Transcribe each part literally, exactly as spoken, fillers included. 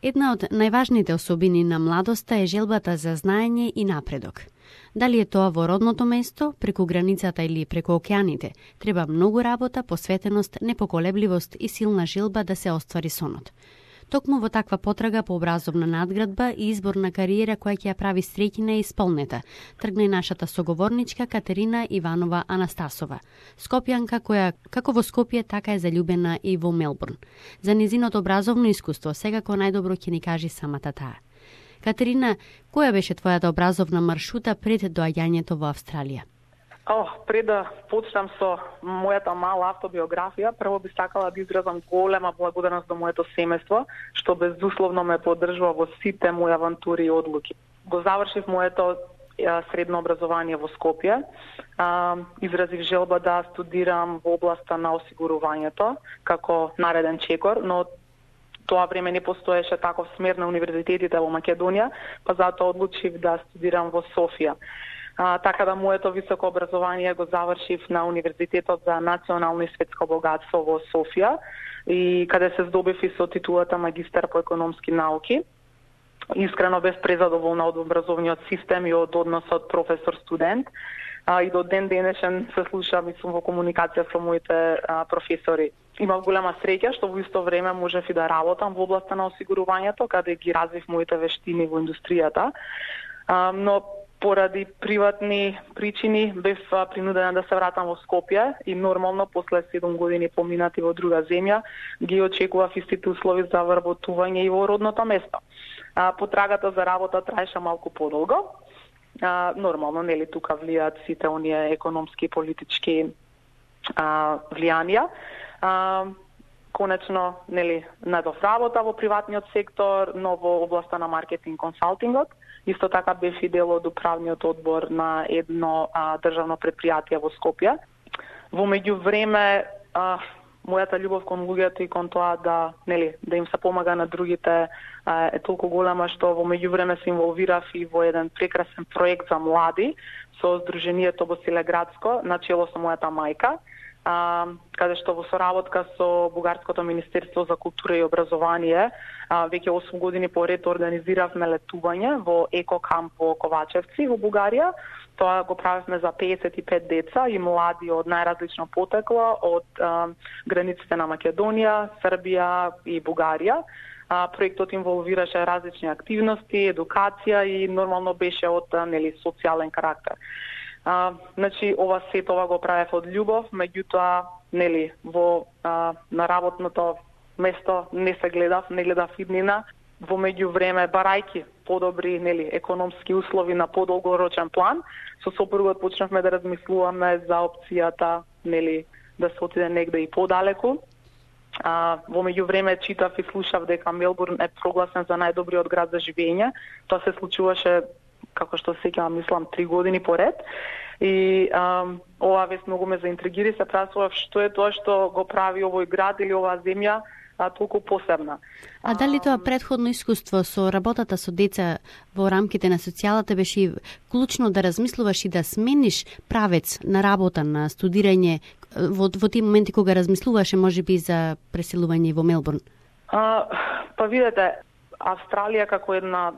Една од најважните особини на младоста е желбата за знаење и напредок. Дали е тоа во родното место, преку границата или преку океаните, треба многу работа, посветеност, непоколебливост и силна желба да се оствари сонот. Токму во таква потрага по образовна надградба и избор на кариера која ќе ја прави среќна и исполнета, тргна и нашата соговорничка Катерина Иванова Анастасова, скопјанка која како во Скопје така е заљубена и во Мелбурн. За незиното образовно искуство секако најдобро ќе ни кажи самата таа. Катерина, која беше твојата образовна маршрута пред доаѓањето во Австралија? О, пред да почнам со мојата мала автобиографија, прво би сакала да изразам голема благодарност до моето семејство, што безусловно ме поддржува во сите мои авантури и одлуки. Го завршив моето средно образование во Скопје, изразив желба да студирам во областа на осигурувањето како нареден чекор, но тоа време не постоеше таков смер на универзитетите во Македонија, па затоа одлучив да студирам во Софија. А, така да моето високо образование го завршив на Универзитетот за национално и светско богатство во Софија, и каде се здобив и со титулата магистар по економски науки. Искрено без презадоволна од образовниот систем и од односот професор-студент. А, и до ден денешен се слушам и сум во комуникација со моите а, професори. Имав голема среќа што во исто време можев и да работам во областа на осигурувањето, каде ги развив моите вештини во индустријата. А, но поради приватни причини бев принудена да се вратам во Скопје и нормално после седум години поминати во друга земја ги очекував истите услови за вработување и во родното место. А, потрагата за работа траеше малку подолго. А, нормално, нели, тука влијаат сите оние економски и политички а, влијанија. А, конечно, нели, најдов работа во приватниот сектор, но во областа на маркетинг консалтингот. Исто така бев и дел од управниот одбор на едно а, државно предпријатие во Скопје. Во меѓувреме, а, мојата љубов кон луѓето и кон тоа да, нели, да им се помага на другите а, е толку голема што во меѓувреме се инволвирав и во еден прекрасен проект за млади со Сдруженијето Босилеградско, начело со мојата мајка, а, каде што во соработка со Бугарското Министерство за култура и образование а, веќе осум години поред организиравме летување во екокамп во Ковачевци во Бугарија. Тоа го правевме за пеесет и пет деца и млади од најразлично потекло, од а, границите на Македонија, Србија и Бугарија. А, проектот инволвираше различни активности, едукација и нормално беше од нели социјален карактер. А, значи, ова сето ова го правев од љубов, меѓутоа, нели, во а, на работното место не се гледав, не гледав иднина. Во меѓувреме, барајки подобри, нели, економски услови на подолгорочен план, со сопругот почнавме да размислуваме за опцијата, нели, да се отиде негде и подалеку. А, во меѓувреме читав и слушав дека Мелбурн е прогласен за најдобриот град за живење. Тоа се случуваше, како што се сеќавам, мислам, три години поред. И а, ова вест многу ме заинтригира и се прашував што е тоа што го прави овој град или оваа земја а, толку посебна. А дали тоа претходно искуство со работата со деца во рамките на социјалата беше клучно да размислуваш и да смениш правец на работа, на студирање во, во тие моменти кога размислуваше можеби за преселување во Мелбурн? А, па видете, Австралија како една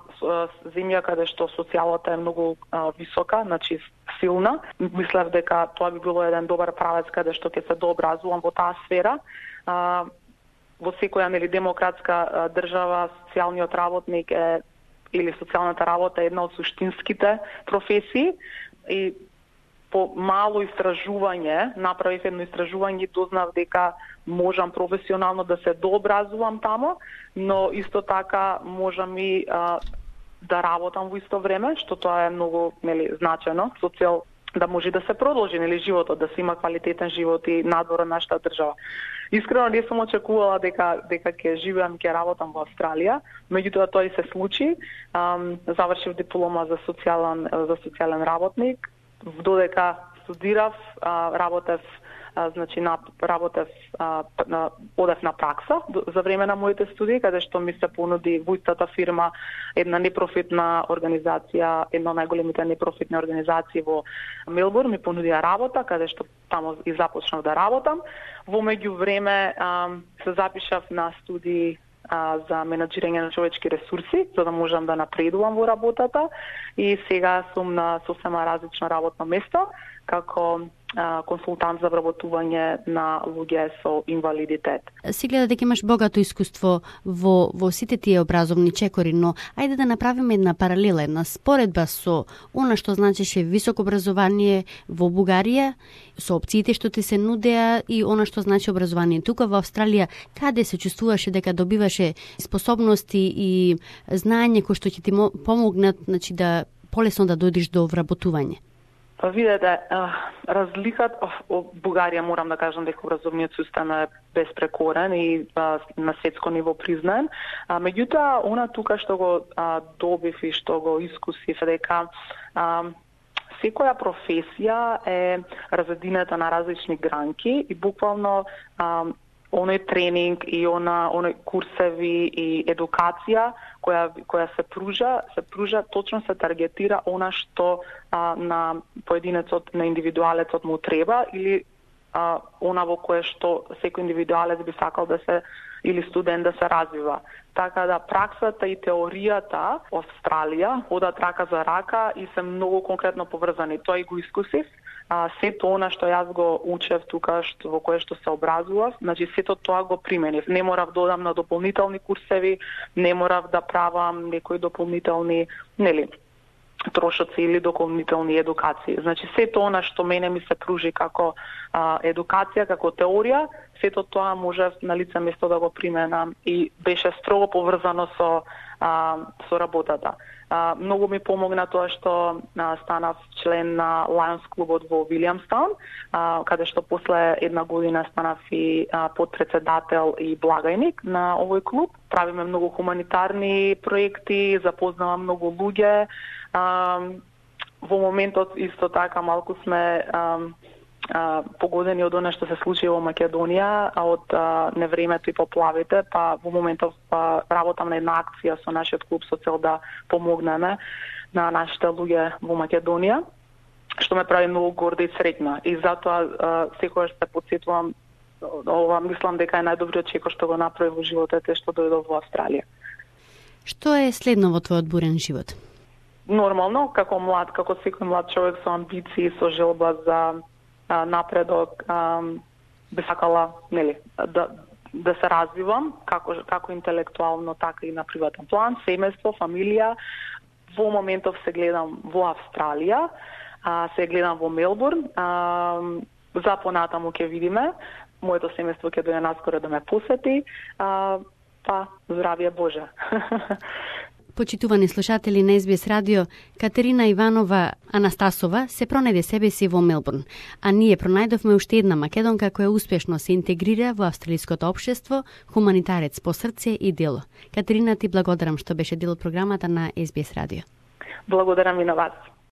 земја каде што социјалата е многу а, висока, значи силна. Мислев дека тоа би било еден добар правец каде што ќе се дообразувам во таа сфера. А, во секоја нели демократска а, држава социјалниот работник е или социјалната работа е една од суштинските професии и по мало истражување, направив едно истражување и дознав дека можам професионално да се дообразувам тамо, но исто така можам и а, да работам во исто време, што тоа е многу нели значено, со цел да може да се продолжи нели животот, да се има квалитетен живот и надвор од нашата држава. Искрено не сум очекувала дека дека ќе живеам и ќе работам во Австралија, меѓутоа тоа и се случи. Um, завршив диплома за социјален за социјален работник, додека студирав, а, работев а, значи на работев а, на, одев на пракса за време на моите студии, каде што ми се понуди во истата фирма една непрофитна организација, една од најголемите непрофитни организации во Мелбурн, ми понудија работа, каде што тамо и започнав да работам. Во меѓувреме а, се запишав на студии а, за менаџирање на човечки ресурси, за да можам да напредувам во работата, и сега сум на сосема различно работно место како а, консултант за вработување на луѓе со инвалидитет. Си гледа дека имаш богато искуство во, во сите тие образовни чекори, но ајде да направиме една паралела, една споредба со она што значеше високо образование во Бугарија, со опциите што ти се нудеа и она што значи образование тука во Австралија, каде се чувствуваше дека добиваше способности и знаење кои што ќе ти помогнат, значи да полесно да дојдеш до вработување? Па видете, разликата во Бугарија, морам да кажам дека образовниот систем е безпрекорен и а, на светско ниво признаен. А, меѓутоа, она тука што го а, добив и што го искусив е дека а, секоја професија е разединета на различни гранки и буквално а, оној тренинг и она оној курсеви и едукација која која се пружа, се пружа точно се таргетира она што а, на поединецот, на индивидуалецот му треба или а, она во кое што секој индивидуалец би сакал да се или студент да се развива. Така да праксата и теоријата во Австралија одат рака за рака и се многу конкретно поврзани. Тоа и го искусив. А, сето она што јас го учев тука, што, во кое што се образував, значи сето тоа го применив. Не морав да одам на дополнителни курсеви, не морав да правам некои дополнителни, нели, трошоци или дополнителни едукации. Значи сето она што мене ми се пружи како а, едукација, како теорија, сето тоа можев на лице место да го применам и беше строго поврзано со а, со работата. А, многу ми помогна тоа што а, станав член на Lions клубот во Вилиамстаун, а, каде што после една година станав и а, подпредседател и благајник на овој клуб. Правиме многу хуманитарни проекти, запознавам многу луѓе. А, во моментот исто така малку сме а, а, погодени од она што се случи во Македонија, а од а, невремето и поплавите, па во моментов а, работам на една акција со нашиот клуб со цел да помогнеме на нашите луѓе во Македонија, што ме прави многу горда и среќна. И затоа а, секогаш се потсетувам, ова мислам дека е најдобриот чекор што го направи во животот е што дојдов во Австралија. Што е следно во твојот бурен живот? Нормално, како млад, како секој млад човек со амбиции, со желба за а, напредок, а, би сакала, нели, да да се развивам како како интелектуално, така и на приватен план, семејство, фамилија. Во моментов се гледам во Австралија, а, се гледам во Мелбурн. А, за понатаму ќе видиме. Моето семејство ќе дојде наскоро да ме посети. А, па, здравје Боже. Почитувани слушатели на Ес Би Ес Радио, Катерина Иванова Анастасова се пронајде себе си во Мелбурн, а ние пронајдовме уште една македонка која успешно се интегрира во австралиското општество, хуманитарец по срце и дело. Катерина, ти благодарам што беше дел од програмата на Ес Би Ес Радио. Благодарам и на вас.